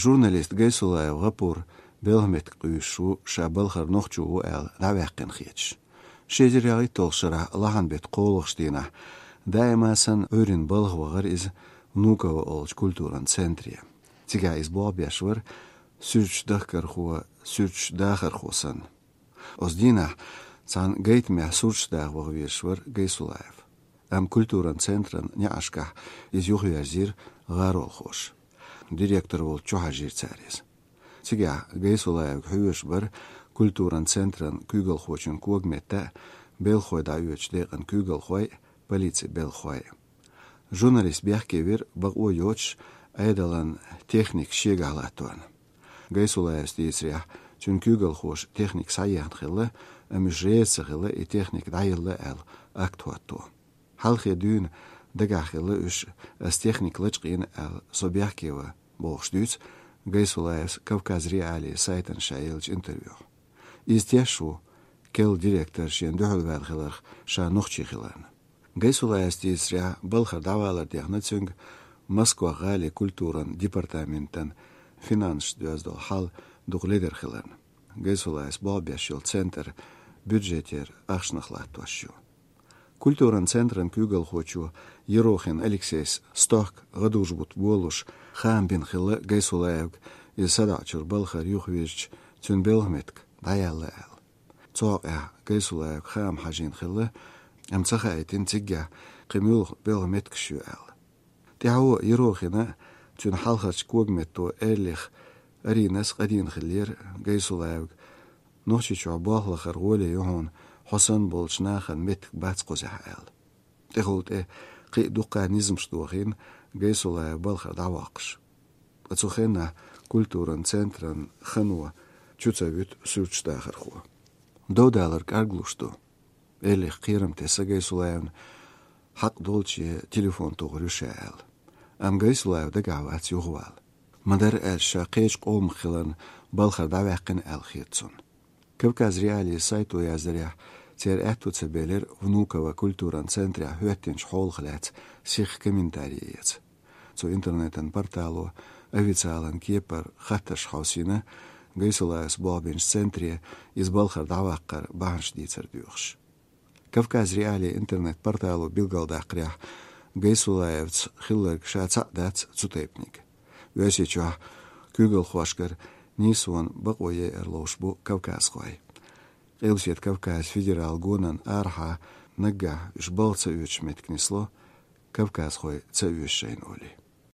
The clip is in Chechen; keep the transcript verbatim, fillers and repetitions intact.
Журналист Гайсулаев ГӀапур белхан меттиг къуьйсуш ву, ша балхара нохчо ву аьлла дӀаваьккхина хеташ. Ши эзар ялхитталгӀачу шарахь лахьан беттан кхоалгӀачу дийнахь даима санна Ӏуьйранна балха вахара иза Внуково олучу культуран центре. Цигахь иза болх беш вара суьрташ дахкархо, суьрташ дахархо санна. Оцу дийнахь цхьана гайтамехь суьрташ даха ваха везаш вара Гайсулаев. Амма культуран центран неӀаршкахь иза юхаверзийра гӀаролхоша. Директор волчу чу хьажийра цара иза. Цигахь Гайсулаевга хьоьжуш бара культуран центран куьйгалхочун когаметта а, белхахой дӀаоьцучу декъан куьйгалхой а, полицин белхахой а. Журналист бехке вира бакъо йоцуш Ӏедалан техника шегахь латтор. Гайсулаевс дийцарехь, цуьнан куьйгалхоша техника схьаехна хилла, амма уьш реза ца хилла и техника дӀаелла аьлла акт хӀотто. Хьалхе дуьйна дагахь хилла уьш, ас техника лачкъийна аьлла, со бехке ван, бохуш дуьйцу Гайсулаевс Кавказ.Реалии сайтана ша еллачу интервьюхь. Иза теш ву, керла директор шена дуьхьал ваьлла хиларх, ша нохчи хиларна. Гайсулаевс дийцарехь, балхара дӀавалар дехна цуьнга Москва гӀалин культуран департаментан финансашца доьзна долу хьал дукха ледара хиларна. Гайсулаевс болх беш йолу центр бюджетера ахчанах латтош ю. Культуран центран куьйгалхочо Ерохин Алексейс стохка гӀадужу-бутт болуш хаам бина хилла Гайсулаевга, иза садаӀачуьра балхара юхавирзича, цуьнан белхан меттиг дӀаяьлла аьлла. Цу хьокъехь Гайсулаевга хаам хьажийна хилла, амма ца хаийтина циггахь кхин муьлха белхан меттигаш ю аьлла. ТӀаьхьо Ерохина а, цуьнан хьалхарчу когаметто Эрлих Аринас а къадийна хиллера Гайсулаевга, Нохчийчохь болх лахара гӀоле ю хьуна, хьо санна болчу нахана меттиг бац кхузахь аьлла. ТӀехула тӀе кхин а дуккха низамаш дохийна Гайсулаев балхара дӀавоккхуш. Ткъа цу хенахь культуран центран хано чу ца вуьту суьрташ дахархо. Дов далар кӀарглуш ду. Эрлих кхерам тесна Гайсулаевна, хьакъ долче телефон тухур ю ша аьлла. Амма Гайсулаев дагахь вац юхавала. Ма-дарра аьлча, ша кхечу къомах хиларна балхара дӀаваьккхина аьлла хета цунна. Кавказ.Реалии сайто яздарехь, церан аьтто ца белира Внуково культуран центрехь хӀоьттинчу хьолах лаьцна сиха комментарий эца. Цу интернетан портало официалан кепара хаттарш хьовсийна, Гайсулаевс болх бинчу центре иза балхара дӀаваккхаран бахьанаш дийцар доьхуш. Кавказ.Реалии интернет-портало билгалдаккхарехь, Гайсулаевца хилларг ша цхьаъ дац цу тайпаниг. Оьрсийчохь куьйгалхошкара нийсонан бакъо яйар ловш бу кавказхой. Къилбаседа Кавказ федералан гонан арахьа наггахь уьш балха ца оьцуш меттиг нисло, кавказхой ца оьшу шайна олий.